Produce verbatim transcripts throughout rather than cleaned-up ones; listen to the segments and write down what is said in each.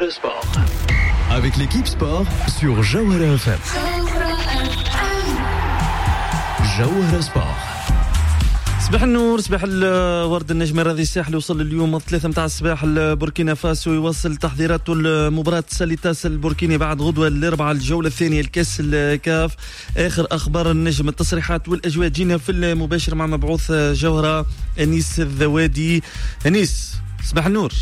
جوهرة Sport. Avec l'équipe sport sur جوهرة إف إم. جوهرة Sport. صباح النور، صباح الورد. النجم الرياضي الساحلي وصل اليوم الثلاثة متاع الصباح لبوركينا فاسو، يواصل تحضيراته لمباراة ساليتاس البوركيني بعد غدوة الأربعاء، الجولة الثانية الكاس الكاف. آخر أخبار النجم، التصريحات والأجواء جينا في المباشر مع مبعوث جوهرة أنيس الذوادي. أنيس صباح النور.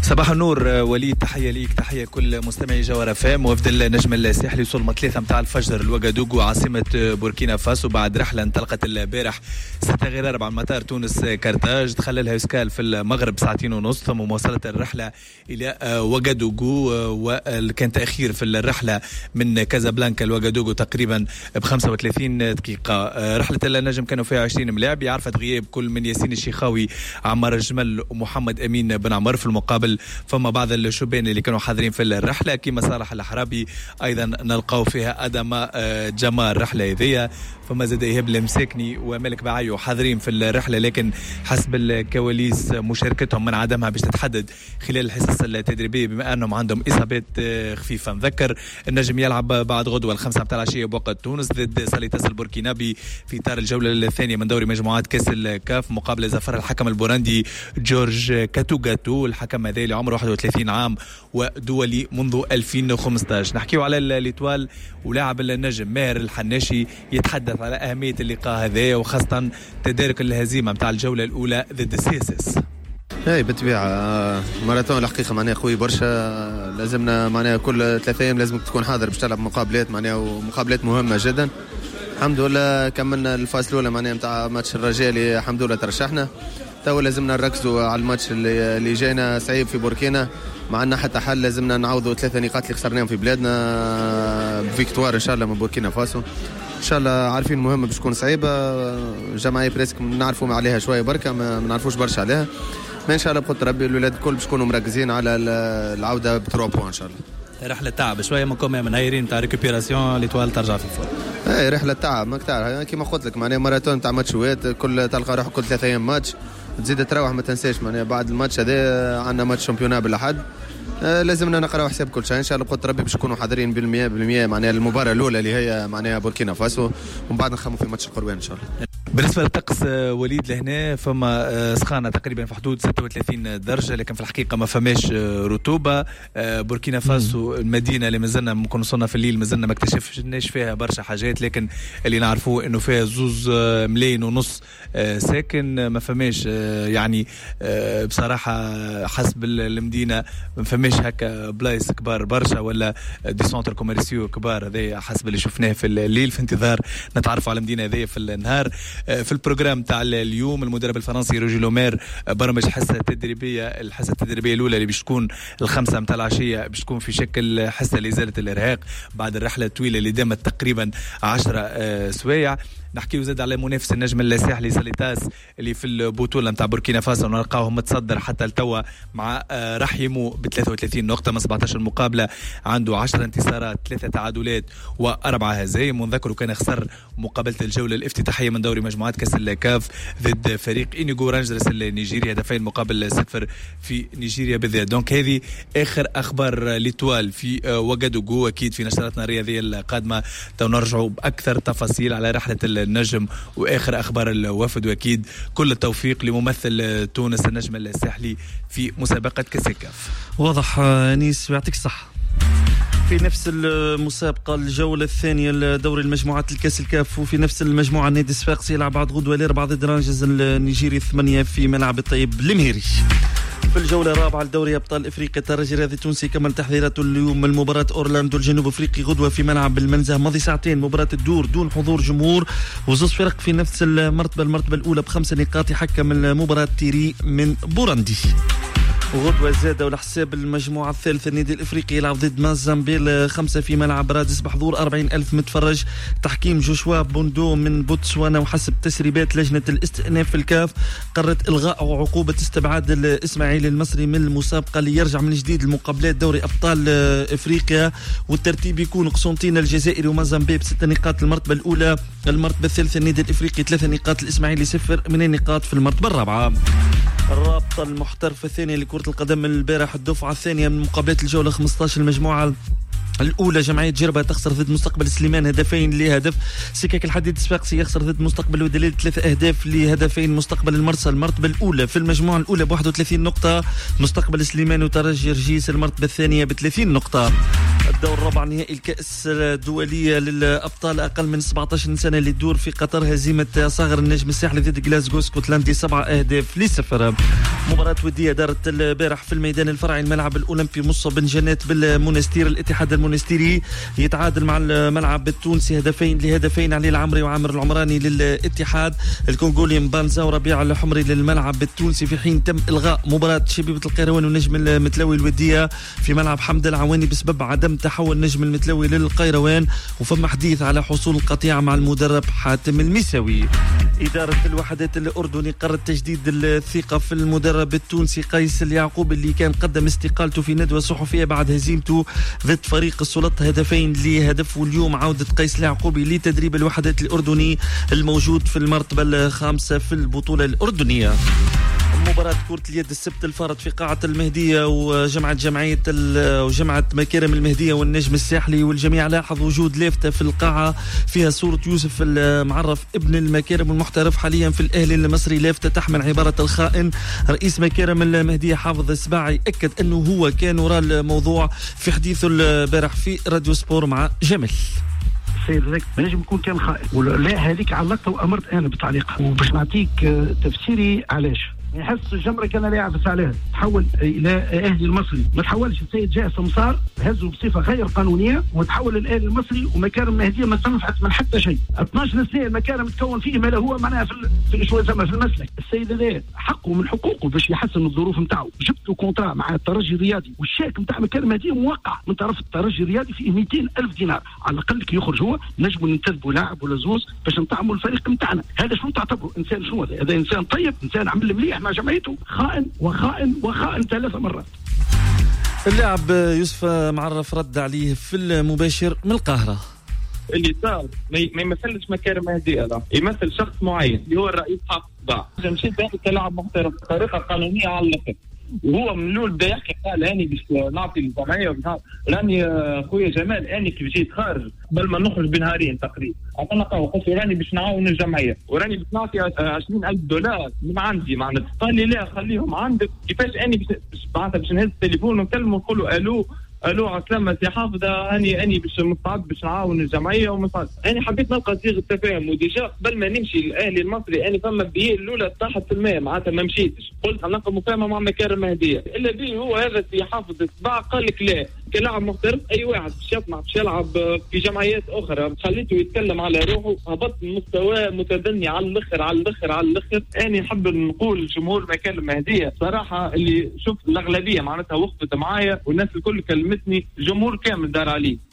صباح النور وليد، تحية ليك، تحية كل مستمعي جوهرة إف إم. وفد النجم الساحلي وصل ثلاثة متاع الفجر لوغادوغو عاصمة بوركينا فاسو بعد رحلة انطلقت البارح ستة غير أربعة من مطار تونس كارتاج، دخل لها escale في المغرب ساعتين ونص، ثم مواصلة الرحلة إلى وغادوغو، وكان تأخير في الرحلة من كازابلانكا لوغادوغو تقريبا ب خمسة وثلاثين دقيقة. رحلة النجم كانوا فيها عشرين ملاعب، عرفت غياب كل من ياسين الشيخاوي، عمار الجمل ومحمد أمين بن عمر. في المقابل فما بعض الشبان اللي كانوا حاضرين في الرحلة كما صالح الحرابي، ايضا نلقاو فيها ادم جمال الرحلة هذيا، فما زاد ايهاب المساكني ومالك بعيو حاضرين في الرحلة، لكن حسب الكواليس مشاركتهم من عدمها باش تتحدد خلال الحصص التدريبية بما انهم عندهم اصابات خفيفة. نذكر النجم يلعب بعد غدوه الخمسة متاع العشية بوقت تونس ضد ساليتاس البوركينابي في اطار الجولة الثانية من دوري مجموعات كاس الكاف، مقابله زفر الحكم البورندي جورج كاتوغاتو، الحكم هذا اللي عمره واحد وثلاثين عام ودولي منذ ألفين وخمسة عشر. نحكيو على l'Étoile ولاعب النجم ماهر الحناشي يتحدث على أهمية اللقاء هذا وخاصة تدارك الهزيمة متاع الجولة الأولى ضد ال CSS. اي بالطبيعة ماراثون الحقيقة معناها قوي برشا، لازمنا معناها كل ثلاثة أيام لازم تكون حاضر باش تلعب مقابلات معناها ومقابلات مهمة جدا. الحمد لله كملنا ال phase الأولى معناها نتاع ماتش الرجاء اللي الحمد لله ترشحنا، تو لازمنا نركزوا على الماتش اللي اللي جاينا صعيب في بوركينا، ما عندنا حتى حل، لازمنا نعوضوا ثلاثة نقاط اللي خسرناهم في بلادنا ب victoire ان شاء الله من بوركينا فاسو. ان شاء الله عارفين المهمة باش تكون صعيبة، جمعية presque نعرفوا عليها شوية بركة، ما نعرفوش برشا عليها، ما ان شاء الله بقدر ربي الولاد الكل باش يكونوا مركزين على العودة ب trois points ان شاء الله. رحلة تعب شوية من كوم من هايرين تاع récupération، l'Étoile ترجع في ال forme. اي رحلة تعب ماك تعرف كيما قلت لك معناها ماراثون تاع ماتشوات، كل تلقى روحك كل ثلاثة ايام ماتش، تزيد تروح ما تنساش معناها بعد الماتش هذا عندنا match championnat بالاحد، آه لازمنا نقراو حساب كل شيء ان شاء الله بقدر ربي باش نكونوا حاضرين بالمية بالمية معناها المباراة الأولى اللي هي معناها بوركينا فاسو، ومن بعد نخموا في ماتش القروان ان شاء الله. بالنسبة للطقس وليد لهنا فما سخانة تقريبا في حدود ستة وثلاثين درجة، لكن في الحقيقة ما فماش رطوبة. بوركينا فاسو المدينة اللي مازلنا ممكن وصلنا في الليل مازلنا ما اكتشفناش فيها برشا حاجات، لكن اللي نعرفوه انه فيها زوز ملايين ونص ساكن، ما فماش يعني بصراحة حسب المدينة ما فماش هكا بلايص كبار برشا ولا des centres commerciaux كبار، هذا حسب اللي شفناه في الليل. في انتظار نتعرفوا على المدينة هذه في النهار. في ال programme تاع اليوم المدرب الفرنسي روجي لومير برمج حصة تدريبية، الحصة التدريبية الأولى اللي باش تكون الخمسة متاع العشية باش تكون في شكل حصة لإزالة الإرهاق بعد الرحلة الطويلة اللي دامت تقريبا عشرة سوايع. نحكيو زاد على منافس النجم الساحلي ساليتاس اللي في البطولة نتاع بوركينا فاسو نلقاوه متصدر حتى لتوا مع رحيمو ب ثلاثة وثلاثين نقطة من سبعة عشر مقابله، عنده عشرة انتصارات، ثلاثة تعادلات واربعة هزايم. ونذكروا كان خسر مقابله الجولة الافتتاحيه من دوري مجموعات كاس الكاف ضد فريق إنيغو رانجرز النيجيري هدفين مقابل صفر في نيجيريا بالذات. donc هذه اخر اخبار l'Étoile في وغادوغو. اكيد في نشراتنا الرياضية القادمة تو نرجعوا باكثر تفاصيل على رحله النجم واخر اخبار الوفد، واكيد كل التوفيق لممثل تونس النجم الساحلي في مسابقة كاس الكاف. واضح انيس ويعطيك الصحة. في نفس المسابقة الجولة الثانية لدوري المجموعات الكاس الكاف، وفي نفس المجموعة النادي الصفاقسي يلعب بعد غدوة الأربعاء ضد رانجز النيجيري ثمانية في ملعب الطيب المهيري. في الجولة الرابعة لدوري أبطال إفريقيا الترجي الرياضي التونسي كمل تحضيراته اليوم من مباراة أورلاندو الجنوب أفريقي غدوة في ملعب المنزه، ماضي ساعتين مباراة الدور دون حضور جمهور، وزوج فرق في نفس المرتبة، المرتبة الأولى بخمس نقاط يحكم المباراة تيري من بورندي. وغدوة زادة ولحساب المجموعة الثالثة النادي الإفريقي يلعب ضد مازامبيل خمسة في ملعب رادس بحضور أربعين ألف متفرج، تحكيم جوشوا بوندو من بوتسوانا. وحسب تسريبات لجنة الاستئناف في الكاف قررت إلغاء عقوبة استبعاد الإسماعيلي المصري من المسابقة ليرجع من جديد المقابلات دوري أبطال إفريقيا، والترتيب يكون قسنطينة الجزائري ومازامبيل بست نقاط المرتبة الأولى، المرتبة الثالثة النادي الإفريقي ثلاثة نقاط، الإسماعيلي صفر من النقاط في المرتبة الرابعة. الرابطة المحترفة الثانية لكرة القدم البارح الدفعة الثانية من مقابلات الجولة خمسة عشر المجموعة الأولى جمعية جربة تخسر ضد مستقبل سليمان هدفين لهدف. سكك الحديد الصفاقسي يخسر ضد مستقبل ودليل ثلاثة أهداف لهدفين. مستقبل المرسى المرتبة الأولى في المجموعة الأولى ب واحد وثلاثين نقطة، مستقبل سليمان وترجي رجيس المرتبة الثانية ب ثلاثين نقطة. الدور الرابع نهائي الكأس الدولية للأبطال أقل من سبعة عشر سنة اللي تدور في قطر، هزيمة صاغر النجم الساحلي ضد غلاسكو اسكتلندي سبعة أهداف لصفر. مباراة ودية دارت البارح في الميدان الفرعي الملعب الأولمبي مصة بن جنات بالمونستير، الاتحاد المونستيري يتعادل مع الملعب التونسي هدفين لهدفين، علي العمري وعامر العمراني للاتحاد، الكونغولي مبانزا وربيع الحمري للملعب التونسي، في حين تم إلغاء مباراة شبيبة القيروان والنجم المتلوي الودية في ملعب حمد العواني بسبب عدم تحول نجم المتلوي للقيروان، وفما حديث على حصول القطيعة مع المدرب حاتم المساوي. إدارة الوحدات الأردني قررت تجديد الثقة في المدرب التونسي قيس اليعقوب اللي كان قدم استقالته في ندوة صحفية بعد هزيمته ضد فريق السلطة هدفين لهدف، واليوم عودة قيس اليعقوبي لتدريب الوحدات الأردني الموجود في المرتبة الخامسة في البطولة الأردنية. مباراة كرة اليد السبت الفارط في قاعة المهدية وجمعة جمعية وجمعة مكارم المهدية والنجم الساحلي، والجميع لاحظ وجود لافتة في القاعة فيها صورة يوسف المعرف ابن المكارم المحترف حاليا في الأهلي المصري، لافتة تحمل عبارة الخائن. رئيس مكارم المهدية حافظ السباعي أكد أنه هو كان وراء الموضوع في حديثه البارح في راديو سبور مع جمل. السيد هذاك ما نجم يكون كان خائن، ولا هذيك علقت وامرت انا بالتعليق، وباش نعطيك تفسيري علاش. يحس الجمرة كان لا يعبس عليها، تحول الى اهلي المصري، ما تحولش السيد جاء سمسار هزه بصفة غير قانونية وتحول للاهلي المصري، ومكارم المهدية ما تنفعت من حتى شيء. اثناش سنة المكارم تكون فيه ما هو معناها في في شوية زعما في المسلك. السيد هذا حقه من حقوقه باش يحسن الظروف نتاعو، جبت له contrat مع الترجي الرياضي والشيك نتاع مكارم المهدية موقع من طرف الترجي الرياضي فيه مئتين ألف دينار، على الاقل كي يخرج هو نجموا ننتدبوا لاعب ولا زوز باش نطعموا الفريق نتاعنا. هذا شنو تعتبره انسان؟ شنو هذا؟ هذا انسان طيب، انسان عمل مليح مع جمعيته، خائن وخائن وخائن ثلاث مرات. اللاعب يوسف معرف رد عليه في المباشر من القاهرة. اللي صار ما يمثلش مكارم مهدية، لا يمثل شخص معين اللي هو الرئيس حافظ السباع. مشيت كلاعب محترف بطريقة قانونية على الآخر، وهو من الاول بدا يحكي قال اني باش نعطي الجمعية، راني خويا جمال اني كيف جيت خارج قبل ما نخرج بنهارين تقريبا عطانا قهوة، قلت له راني باش نعاون الجمعية وراني باش نعطي عشرين ألف دولار من عندي معناتها. قال لي لا خليهم عندك. كيفاش اني باش معناتها باش نهز التليفون ونكلمه ونقول له الو الو عسلامة سي حافظ اني اني باش مستعد باش نعاون الجمعية ومستعد. اني حبيت نلقى صيغة تفاهم، و déjà قبل ما نمشي للاهلي المصري اني فما بيه الاولى طاحت في الماء معناتها ما مشيتش، قلت نلقى مفاهمه مع مكارم مهديه، الا به هو هذا سي حافظ السباع قال لك لا كلاعب محترف اي واحد باش يطمع باش يلعب في جمعيات اخرى، خليته يتكلم على روحه، هبط مستواه متدني على الاخر على الاخر على الاخر. اني نحب نقول لجمهور مكارم مهديه صراحة اللي شفت الاغلبية معناتها وقفت معايا والناس الكل كلمتني، الجمهور كامل دار عليه.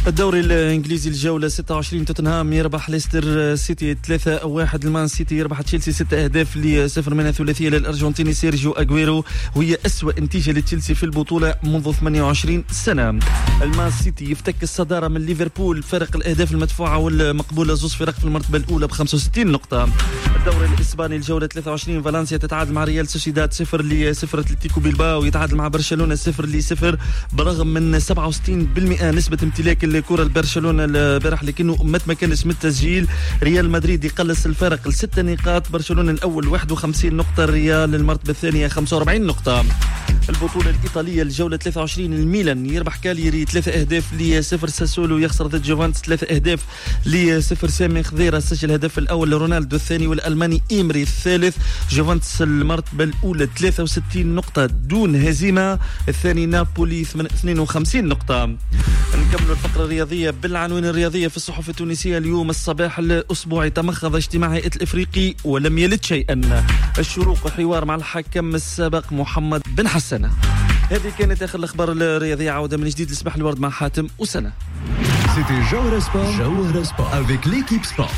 الدوري الانجليزي الجولة ستة وعشرين، توتنهام يربح ليستر سيتي ثلاثة واحد، المان سيتي يربح تشيلسي ستة اهداف لصفر منها ثلاثية للارجنتيني سيرجيو اغويرو، وهي اسوأ نتيجة لتشيلسي في البطولة منذ ثمانية وعشرين سنة. المان سيتي يفتك الصدارة من ليفربول فرق الاهداف المدفوعه والمقبوله، زوز فرق في المرتبة الاولى ب خمسة وستين نقطة. الدوري الاسباني الجولة ثلاثة وعشرين، فالنسيا تتعادل مع ريال سوسيداد صفر لصفر، اتلتيكو بيلباو يتعادل مع برشلونة صفر لصفر برغم من سبعة وستين بالمئة نسبه امتلاك الكرة لبرشلونة البارح لكنه ما تمكنش من التسجيل. ريال مدريد يقلص الفارق لستة نقاط، برشلونة الأول واحد وخمسين نقطة، الريال المرتبة الثانية خمسة وأربعين نقطة. البطولة الإيطالية الجولة ثلاثة وعشرين، الميلان يربح كاليري ثلاثة أهداف لصفر، ساسولو يخسر ضد جوفانتس ثلاثة أهداف لصفر، سامي خضيرة سجل الهدف الأول لرونالدو الثاني والألماني إيمري الثالث. جوفانتس المرتبة الأولى ثلاثة وستين نقطة دون هزيمة، الثاني نابولي اثنين وخمسين نقطة. نكمل الفقرة الرياضية بالعناوين الرياضية في الصحف التونسية اليوم الصباح الأسبوعي. تمخض اجتماع هيئة الإفريقي ولم يلد شيئا. الشروق حوار مع الحكم السابق محمد بن حسن. هذه كانت آخر الأخبار الرياضية. عودة من جديد لصباح الورد مع حاتم وسنة. C'était Jawhara Sport, Jawhara Sport avec l'équipe Sport.